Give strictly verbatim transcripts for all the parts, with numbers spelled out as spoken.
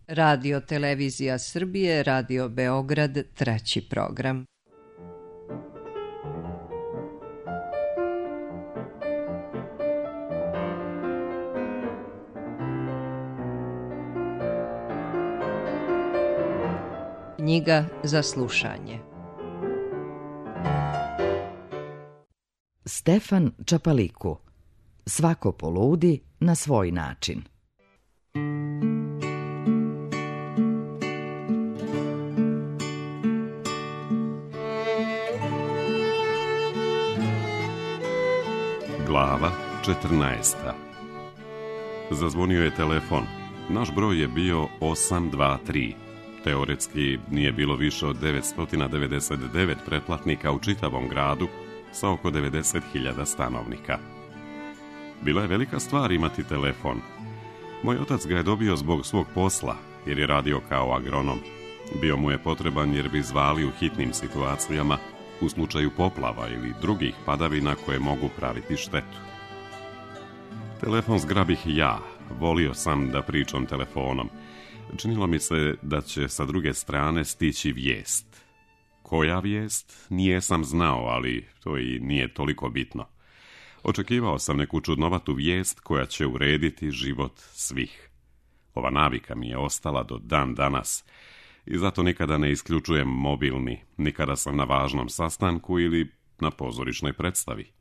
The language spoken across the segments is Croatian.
Radio Televizija Srbije, Radio Beograd, treći program. Knjiga za slušanje. Stefan Čapaliku. Svako poludi na svoj način. Glava četrnaesta. Zazvonio je telefon. Naš broj je bio osam dva tri. Teoretski nije bilo više od devetsto devedeset devet pretplatnika u čitavom gradu sa oko devedeset hiljada stanovnika. Bila je velika stvar imati telefon. Moj otac ga je dobio zbog svog posla, jer je radio kao agronom. Bio mu je potreban jer bi zvali u hitnim situacijama u slučaju poplava ili drugih padavina koje mogu praviti štetu. Telefon zgrabih ja, volio sam da pričam telefonom. Činilo mi se da će sa druge strane stići vijest. Koja vijest? Nije sam znao, ali to i nije toliko bitno. Očekivao sam neku čudnovatu vijest koja će urediti život svih. Ova navika mi je ostala do dan danas i zato nikada ne isključujem mobilni, nikada sam na važnom sastanku ili na pozorišnoj predstavi.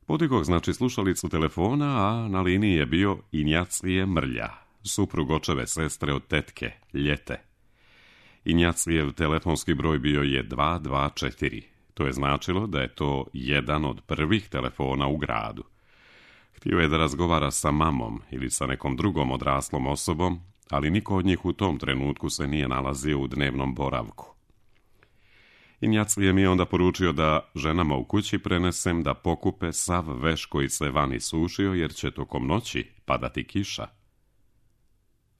Podigoh znači slušalicu telefona, a na liniji je bio Injacije Mrlja, suprug očeve sestre od tetke, Ljete. Injacijev telefonski broj bio je dva dva četiri. To je značilo da je to jedan od prvih telefona u gradu. Htio je da razgovara sa mamom ili sa nekom drugom odraslom osobom, ali niko od njih u tom trenutku se nije nalazio u dnevnom boravku. Injacije mi je onda poručio da ženama u kući prenesem da pokupe sav veš koji se vani sušio jer će tokom noći padati kiša.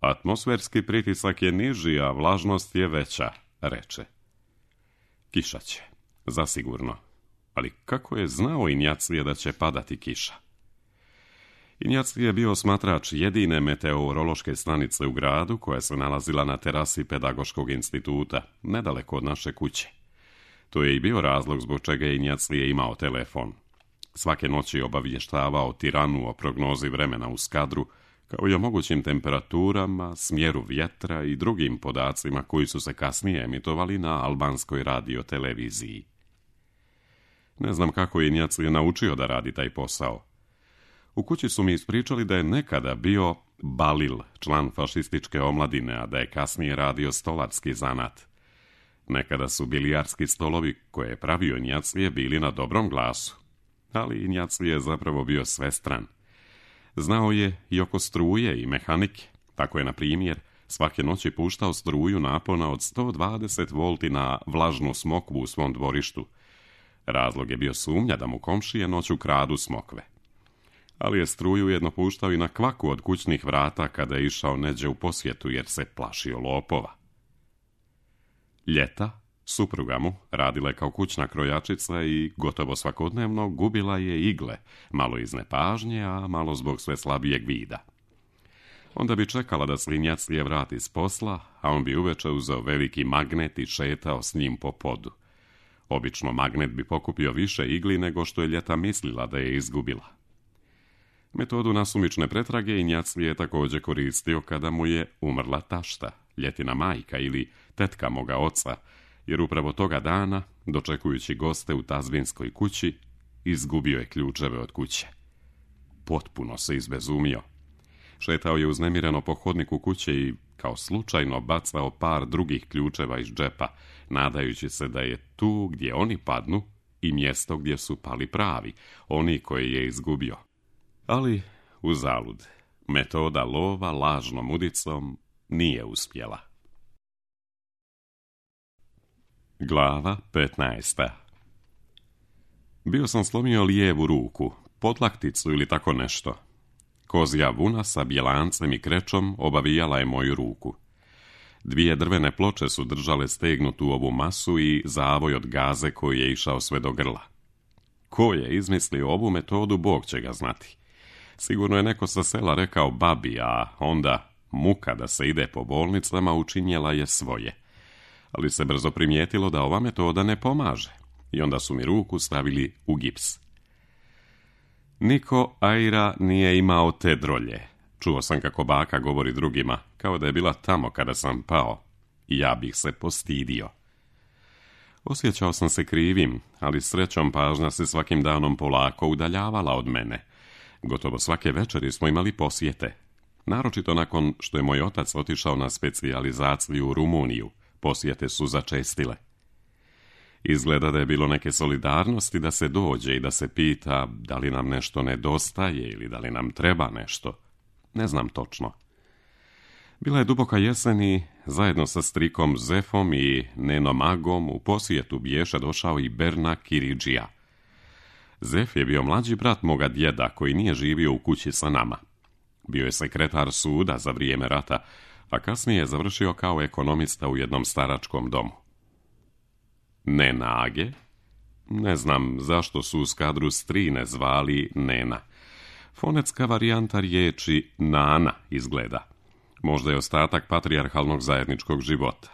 Atmosferski pritisak je niži, a vlažnost je veća, reče. Kiša će, zasigurno. Ali kako je znao Injacije da će padati kiša? Injacije je bio smatrač jedine meteorološke stanice u gradu koja se nalazila na terasi Pedagoškog instituta, nedaleko od naše kuće. To je i bio razlog zbog čega je Injacije imao telefon. Svake noći obavještavao tiranu o prognozi vremena u Skadru, kao i o mogućim temperaturama, smjeru vjetra i drugim podacima koji su se kasnije emitovali na albanskoj radioteleviziji. Ne znam kako je Injacije naučio da radi taj posao. U kući su mi ispričali da je nekada bio Balil, član fašističke omladine, a da je kasnije radio stolarski zanat. Nekada su bilijarski stolovi koje je pravio Injacije bili na dobrom glasu, ali Injacije je zapravo bio svestran. Znao je i oko struje i mehanike. Tako je, na primjer, svake noći puštao struju napona od sto dvadeset volti na vlažnu smokvu u svom dvorištu. Razlog je bio sumnja da mu komšije noću kradu smokve. Ali je struju jedno puštao i na kvaku od kućnih vrata kada je išao neđe u posjetu jer se plašio lopova. Ljeta, supruga mu, radila je kao kućna krojačica i gotovo svakodnevno gubila je igle, malo iz nepažnje, a malo zbog sve slabijeg vida. Onda bi čekala da se Injacije vrati s posla, a on bi uveče uzeo veliki magnet i šetao s njim po podu. Obično magnet bi pokupio više igli nego što je Ljeta mislila da je izgubila. Metodu nasumične pretrage Injacije je također koristio kada mu je umrla tašta, Ljetina majka ili tetka moga oca, jer upravo toga dana, dočekujući goste u tazbinskoj kući, izgubio je ključeve od kuće. Potpuno se izbezumio. Šetao je uznemireno po hodniku kuće i kao slučajno bacao par drugih ključeva iz džepa, nadajući se da je tu gdje oni padnu i mjesto gdje su pali pravi, oni koje je izgubio. Ali uzalud, metoda lova lažnom udicom nije uspjela. Glava petnaesta. Bio sam slomio lijevu ruku, podlakticu ili tako nešto. Kozja vuna sa bjelancem i krećom obavijala je moju ruku. Dvije drvene ploče su držale stegnutu ovu masu i zavoj od gaze koji je išao sve do grla. Ko je izmislio ovu metodu, Bog će ga znati. Sigurno je neko sa sela rekao babi, a onda Muka da se ide po bolnicama učinjela je svoje. Ali se brzo primijetilo da ova metoda ne pomaže i onda su mi ruku stavili u gips. Niko Aira nije imao te drolje. Čuo sam kako baka govori drugima, kao da je bila tamo kada sam pao. I ja bih se postidio. Osjećao sam se krivim, ali srećom pažnja se svakim danom polako udaljavala od mene. Gotovo svake večeri smo imali posjete. Naročito nakon što je moj otac otišao na specijalizaciju u Rumuniju, posjete su začestile. Izgleda da je bilo neke solidarnosti da se dođe i da se pita da li nam nešto nedostaje ili da li nam treba nešto. Ne znam točno. Bila je duboka jesen i zajedno sa strikom Zefom i nenom Agom u posjetu biješa došao i Berna Kiridžija. Zef je bio mlađi brat moga djeda koji nije živio u kući sa nama. Bio je sekretar suda za vrijeme rata, a kasnije je završio kao ekonomista u jednom staračkom domu. Nena Age? Ne znam zašto su u skadru strine zvali Nena. Fonetska varijanta riječi Nana izgleda. Možda je ostatak patrijarhalnog zajedničkog života.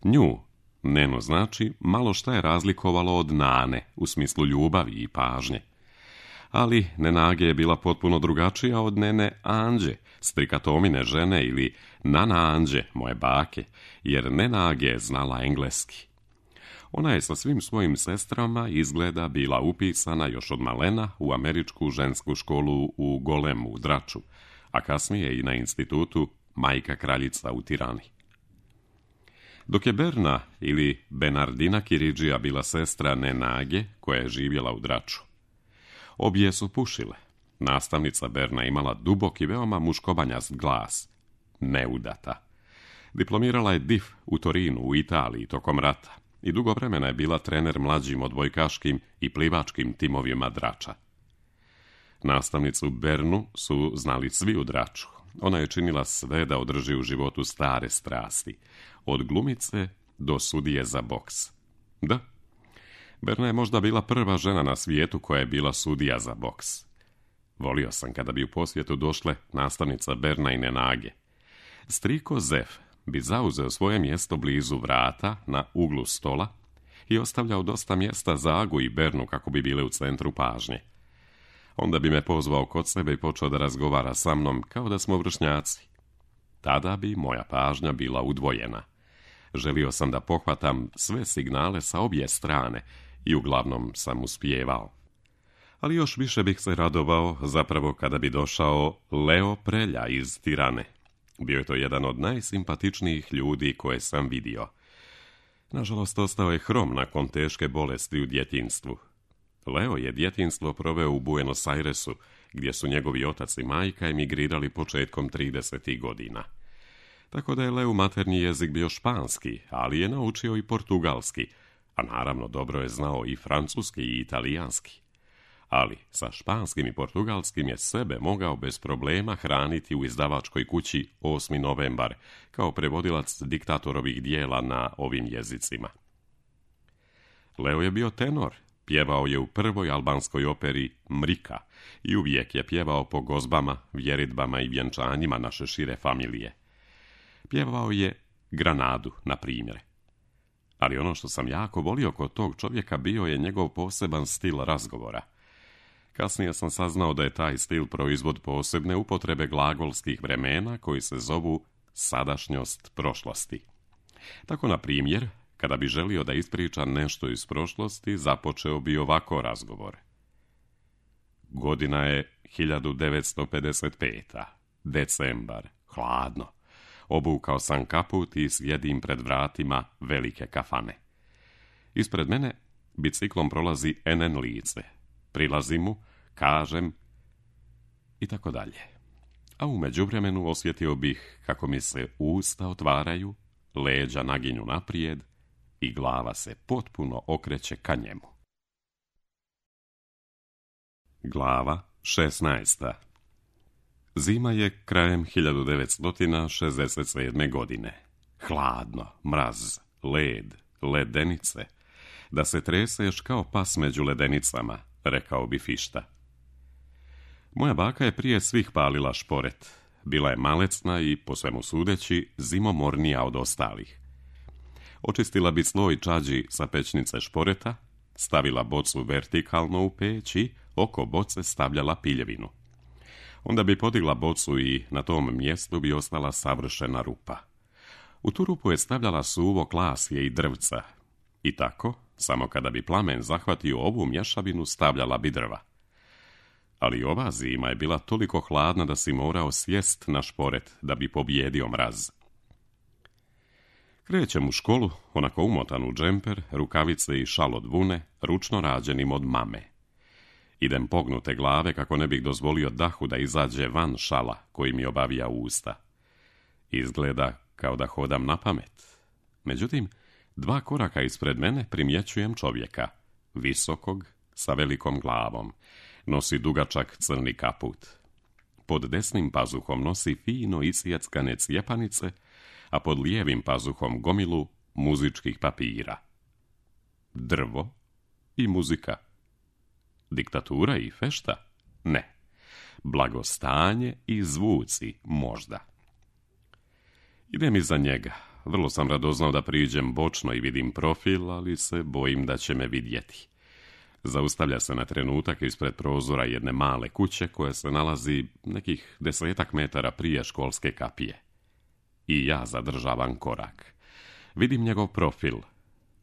Nju, Neno, znači malo šta je razlikovalo od Nane u smislu ljubavi i pažnje. Ali Nena Age je bila potpuno drugačija od Nene Anđe, strikatomine žene ili Nana Anđe, moje bake, jer Nena Age je znala engleski. Ona je sa svim svojim sestrama izgleda bila upisana još od malena u američku žensku školu u Golemu u Draču, a kasnije i na institutu Majka Kraljica u Tirani. Dok je Berna ili Bernardina Kiridžija bila sestra Nena Age, koja je živjela u Draču. Obje su pušile. Nastavnica Berna imala dubok i veoma muškobanjast glas. Neudata. Diplomirala je D I F u Torinu u Italiji tokom rata i dugo vremena je bila trener mlađim odbojkaškim i plivačkim timovima Drača. Nastavnicu Bernu su znali svi u Draču. Ona je činila sve da održi u životu stare strasti, od glumice do sudije za boks. Da, Berna je možda bila prva žena na svijetu koja je bila sudija za boks. Volio sam kada bi u posjetu došle nastavnica Berna i Nena Age. Striko Zef bi zauzeo svoje mjesto blizu vrata na uglu stola i ostavljao dosta mjesta za Agu i Bernu kako bi bile u centru pažnje. Onda bi me pozvao kod sebe i počeo da razgovara sa mnom kao da smo vršnjaci. Tada bi moja pažnja bila udvojena. Želio sam da pohvatam sve signale sa obje strane i uglavnom sam uspijevao. Ali još više bih se radovao zapravo kada bi došao Leo Prelja iz Tirane. Bio je to jedan od najsimpatičnijih ljudi koje sam vidio. Nažalost, ostao je hrom nakon teške bolesti u djetinjstvu. Leo je djetinjstvo proveo u Buenos Airesu, gdje su njegovi otac i majka emigrirali početkom tridesetih godina. Tako da je Leu maternji jezik bio španski, ali je naučio i portugalski, a naravno dobro je znao i francuski i italijanski. Ali sa španskim i portugalskim je sebe mogao bez problema hraniti u izdavačkoj kući osmi novembar, kao prevodilac diktatorovih dijela na ovim jezicima. Leo je bio tenor, pjevao je u prvoj albanskoj operi Mrika i uvijek je pjevao po gozbama, vjeridbama i vjenčanjima naše šire familije. Pjevao je Granadu, na primjer. Ali ono što sam jako volio kod tog čovjeka bio je njegov poseban stil razgovora. Kasnije sam saznao da je taj stil proizvod posebne upotrebe glagolskih vremena koji se zovu sadašnjost prošlosti. Tako, na primjer, kada bi želio da ispriča nešto iz prošlosti, započeo bi ovako razgovor. Godina je hiljadu devetsto pedeset peta. Decembar. Hladno. Obukao sam kaput i sjedim pred vratima velike kafane. Ispred mene biciklom prolazi en en lice. Prilazim mu, kažem i tako dalje. A u međuvremenu osjetio bih kako mi se usta otvaraju, leđa naginju naprijed i glava se potpuno okreće ka njemu. Glava šesnaesta. Zima je krajem hiljadu devetsto šezdeset sedme. godine. Hladno, mraz, led, ledenice. Da se treseš kao pas među ledenicama, rekao bi Fišta. Moja baka je prije svih palila šporet. bila je malecna i, po svemu sudeći, zimomornija od ostalih. Očistila bi sloj čađi sa pećnice šporeta, stavila bocu vertikalno u peć i oko boce stavljala piljevinu. Onda bi podigla bocu i na tom mjestu bi ostala savršena rupa. U tu rupu je stavljala suvo klasje i drvca. I tako, samo kada bi plamen zahvatio ovu mješavinu, stavljala bi drva. Ali ova zima je bila toliko hladna da si morao sjest na šporet da bi pobjedio mraz. Krećem u školu, onako umotan u džemper, rukavice i šal od vune, ručno rađenim od mame. Idem pognute glave kako ne bih dozvolio dahu da izađe van šala koji mi obavija usta. Izgleda kao da hodam na pamet. Međutim, dva koraka ispred mene primjećujem čovjeka, visokog, sa velikom glavom. Nosi dugačak crni kaput. Pod desnim pazuhom nosi fino isjeckane cjepanice, a pod lijevim pazuhom gomilu muzičkih papira. Drvo i muzika. Diktatura i fešta? Ne. Blagostanje i zvuci možda. Idem iza njega. Vrlo sam radoznao da priđem bočno i vidim profil, ali se bojim da će me vidjeti. Zaustavlja se na trenutak ispred prozora jedne male kuće koja se nalazi nekih desetak metara prije školske kapije. I ja zadržavam korak. Vidim njegov profil.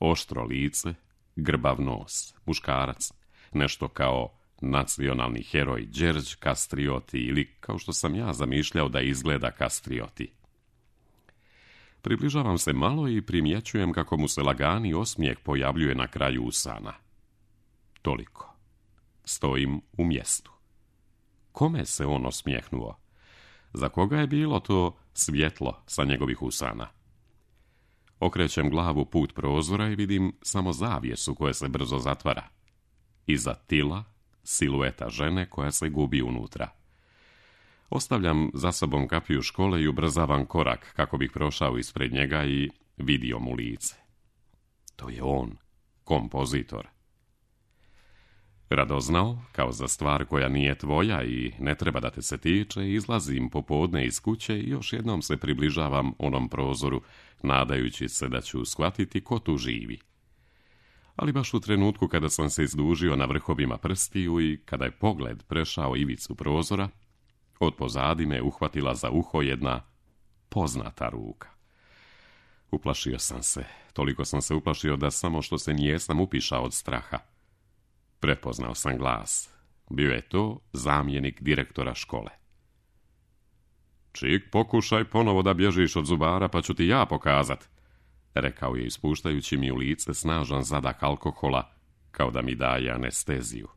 Oštro lice, grbav nos, muškarac, nešto kao nacionalni heroj Đerđ Kastrioti ili kao što sam ja zamišljao da izgleda Kastrioti. Približavam se malo i primjećujem kako mu se lagani osmijeh pojavljuje na kraju usana. Toliko. Stojim u mjestu. Kome se on osmijehnuo? Za koga je bilo to svjetlo sa njegovih usana? Okrećem glavu put prozora i vidim samo zavjesu koja se brzo zatvara. Iza tila silueta žene koja se gubi unutra. Ostavljam za sobom kapiju škole i ubrzavam korak kako bih prošao ispred njega i vidio mu lice. To je on, kompozitor. Radoznao, kao za stvar koja nije tvoja i ne treba da te se tiče, izlazim popodne iz kuće i još jednom se približavam onom prozoru, nadajući se da ću shvatiti ko tu živi. Ali baš u trenutku kada sam se izdužio na vrhovima prstiju i kada je pogled prešao ivicu prozora, od pozadi me uhvatila za uho jedna poznata ruka. Uplašio sam se, toliko sam se uplašio da samo što se nijesam upišao od straha. Prepoznao sam glas. Bio je to zamjenik direktora škole. Čik, pokušaj ponovo da bježiš od zubara, pa ću ti ja pokazat, rekao je ispuštajući mi u lice snažan zadah alkohola, kao da mi daje anesteziju.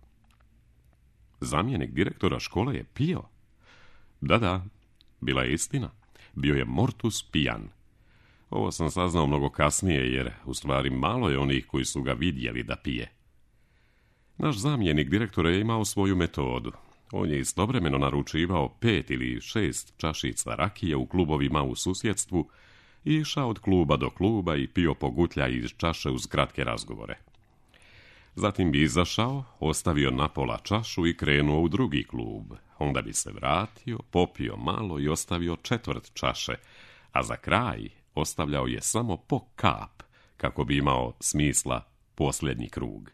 Zamjenik direktora škole je pio. Da, da, bila je istina. Bio je mortus pijan. Ovo sam saznao mnogo kasnije, jer u stvari malo je onih koji su ga vidjeli da pije. Naš zamjenik direktora je imao svoju metodu. On je istovremeno naručivao pet ili šest čašica rakije u klubovima u susjedstvu i išao od kluba do kluba i pio pogutlja iz čaše uz kratke razgovore. Zatim bi izašao, ostavio napola čašu i krenuo u drugi klub. Onda bi se vratio, popio malo i ostavio četvrt čaše, a za kraj ostavljao je samo po kap, kako bi imao smisla posljednji krug.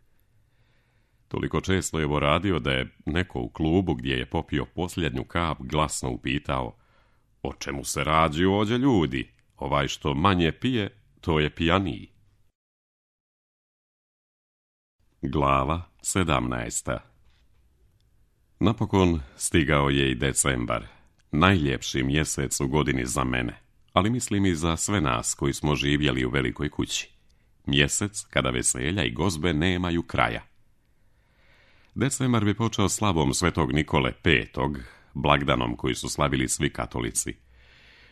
Toliko često je ovo radio da je neko u klubu gdje je popio posljednju kap glasno upitao: o čemu se radi ovdje, ljudi? Ovaj što manje pije, to je pijaniji. Glava sedamnaesta. Napokon stigao je i decembar, najljepši mjesec u godini za mene, ali mislim i za sve nas koji smo živjeli u velikoj kući. Mjesec kada veselja i gozbe nemaju kraja. Decembar bi počeo slavom svetog Nikole petog, blagdanom koji su slavili svi katolici.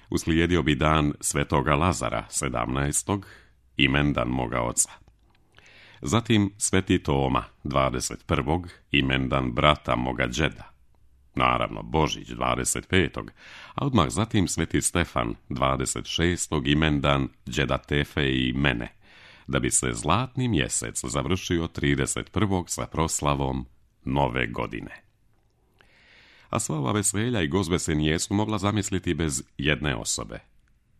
Uslijedio bi dan svetoga Lazara sedamnaestog, imendan moga oca. Zatim sveti Toma dvadeset prvog, imendan brata moga đeda. Naravno Božić dvadeset petog, a odmah zatim sveti Stefan dvadeset šestog, imendan đeda Tefe i mene, da bi se zlatni mjesec završio trideset prvog sa proslavom Nove godine. A sva ova veselja i gozbe se nijesu mogla zamisliti bez jedne osobe.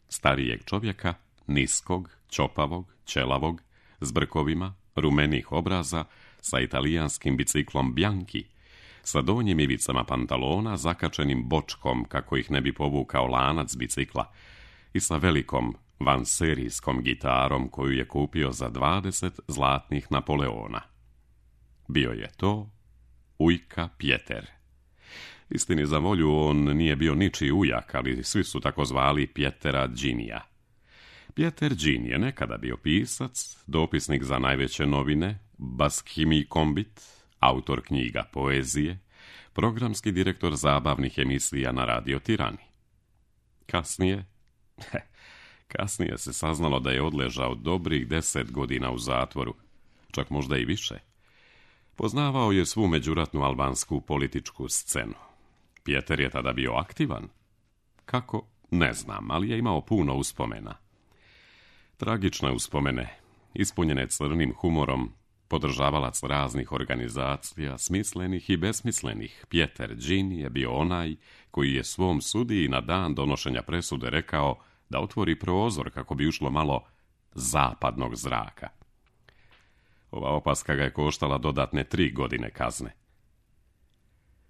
Starijeg čovjeka, niskog, ćopavog, ćelavog, s brkovima, rumenih obraza, sa italijanskim biciklom Bianchi, sa donjim ivicama pantalona zakačenim bočkom kako ih ne bi povukao lanac bicikla i sa velikom vanserijskom gitarom koju je kupio za dvadeset zlatnih Napoleona. Bio je to ujka Pjeter. Istini za volju, on nije bio ničiji ujak, ali svi su tako zvali Pjetera Džinija. Pjeter Džin je nekada bio pisac, dopisnik za najveće novine, Baskhimi Kombit, autor knjiga poezije, programski direktor zabavnih emisija na Radio Tirani. Kasnije, kasnije se saznalo da je odležao dobrih deset godina u zatvoru, čak možda i više. Poznavao je svu međuratnu albansku političku scenu. Pjeter je tada bio aktivan. Kako? Ne znam, ali je imao puno uspomena. Tragične uspomene, ispunjene crnim humorom, podržavalac raznih organizacija, smislenih i besmislenih, Pjeter Džin je bio onaj koji je svom sudiji na dan donošenja presude rekao da otvori prozor kako bi ušlo malo zapadnog zraka. Ova opaska ga je koštala dodatne tri godine kazne.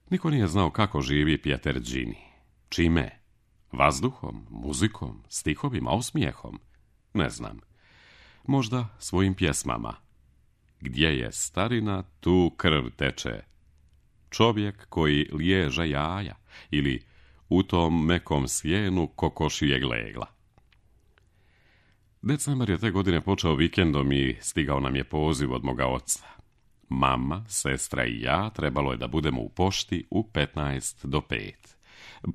Niko nije znao kako živi Pjeter Džin. Čime? Vazduhom, muzikom, stihovima, osmijehom? Ne znam. Možda svojim pjesmama. Gdje je starina, tu krv teče. Čovjek koji liježe jaja ili u tom mekom sjenu kokošijeg legla. Decembar je te godine počeo vikendom i stigao nam je poziv od moga oca. Mama, sestra i ja trebalo je da budemo u pošti u petnaest do pet.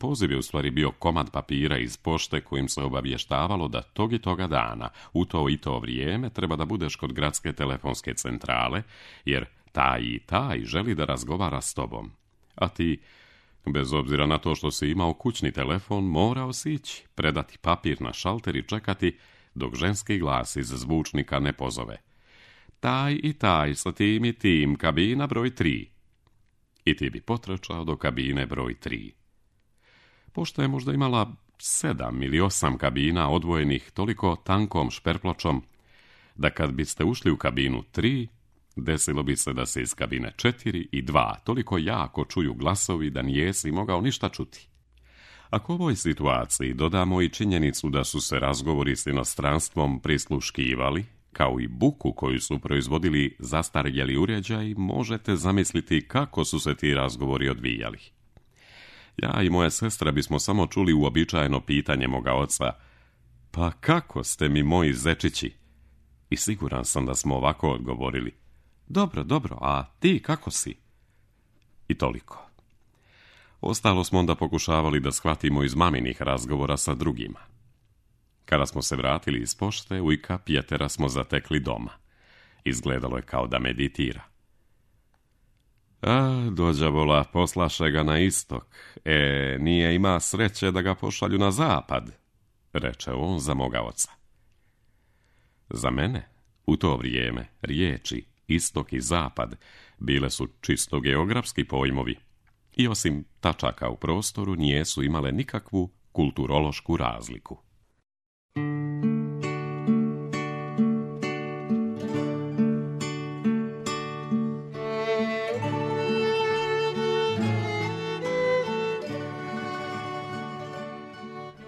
Poziv je u stvari bio komad papira iz pošte kojim se obavještavalo da tog i toga dana, u to i to vrijeme, treba da budeš kod gradske telefonske centrale, jer taj i taj želi da razgovara s tobom. A ti, bez obzira na to što si imao kućni telefon, morao si ići, predati papir na šalter i čekati dok ženski glas iz zvučnika ne pozove. Taj i taj sa tim i tim, kabina broj tri. I ti bi potrčao do kabine broj tri. Pošta je možda imala sedam ili osam kabina odvojenih toliko tankom šperpločom da kad biste ušli u kabinu tri, desilo bi se da se iz kabine četiri i dva toliko jako čuju glasovi da nijesi mogao ništa čuti. Ako u ovoj situaciji dodamo i činjenicu da su se razgovori s inostranstvom prisluškivali, kao i buku koju su proizvodili zastarjeli uređaji, možete zamisliti kako su se ti razgovori odvijali. Ja i moja sestra bismo samo čuli uobičajeno pitanje moga oca: pa kako ste mi moji zečići? I siguran sam da smo ovako odgovorili: dobro, dobro, a ti kako si? I toliko. Ostalo smo onda pokušavali da shvatimo iz maminih razgovora sa drugima. Kada smo se vratili iz pošte, ujka Pjetera smo zatekli doma. Izgledalo je kao da meditira. A, dođavola, poslaše ga na istok. E, nije ima sreće da ga pošalju na zapad, reče on za moga oca. Za mene, u to vrijeme, riječi istok i zapad bile su čisto geografski pojmovi i osim tačaka u prostoru nijesu imale nikakvu kulturološku razliku.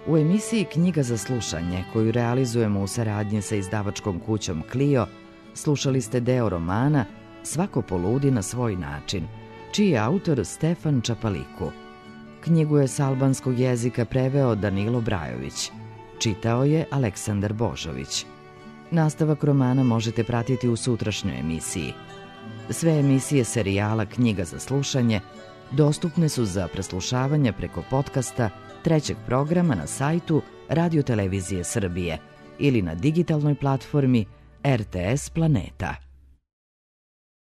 U emisiji Knjiga za slušanje, koju realizujemo u saradnji sa izdavačkom kućom Clio, slušali ste deo romana Svako poludi na svoj način, čiji je autor Stefan Čapaliku. Knjigu je s albanskog jezika preveo Danilo Brajović. Čitao je Aleksandar Božović. Nastavak romana možete pratiti u sutrašnjoj emisiji. Sve emisije serijala Knjiga za slušanje dostupne su za preslušavanje preko podcasta trećeg programa na sajtu Radio Televizije Srbije ili na digitalnoj platformi R T S Planeta.